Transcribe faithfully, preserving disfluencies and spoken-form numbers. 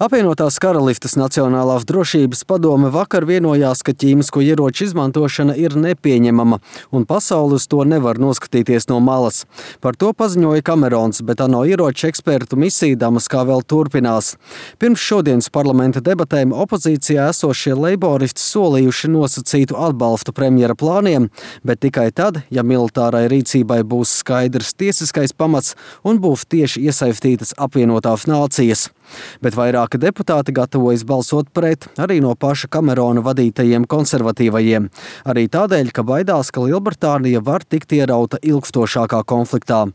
Apvienotās Karalistes Nacionālās drošības padome vakar vienojās, ka ķīmisko ieroču izmantošana ir nepieņemama un pasaule uz to nevar noskatīties no malas. Par to paziņoja Kamerons, bet ANO ieroču ekspertu misija Damaskā vēl turpinās. Pirms šodienas parlamenta debatēm opozīcijā esošie leiboristi solījuši nosacītu atbalstu premjera plāniem, bet tikai tad, ja militārai rīcībai būs skaidrs tiesiskais pamats un būs tieši iesaistītas apvienotās nācijas. Bet vairāki deputāti gatavojas balsot pret arī no paša Kamerona vadītajiem konservatīvajiem. Arī tādēļ, ka baidās, ka Lielbritānija var tikt ierauta ilgstošākā konfliktā.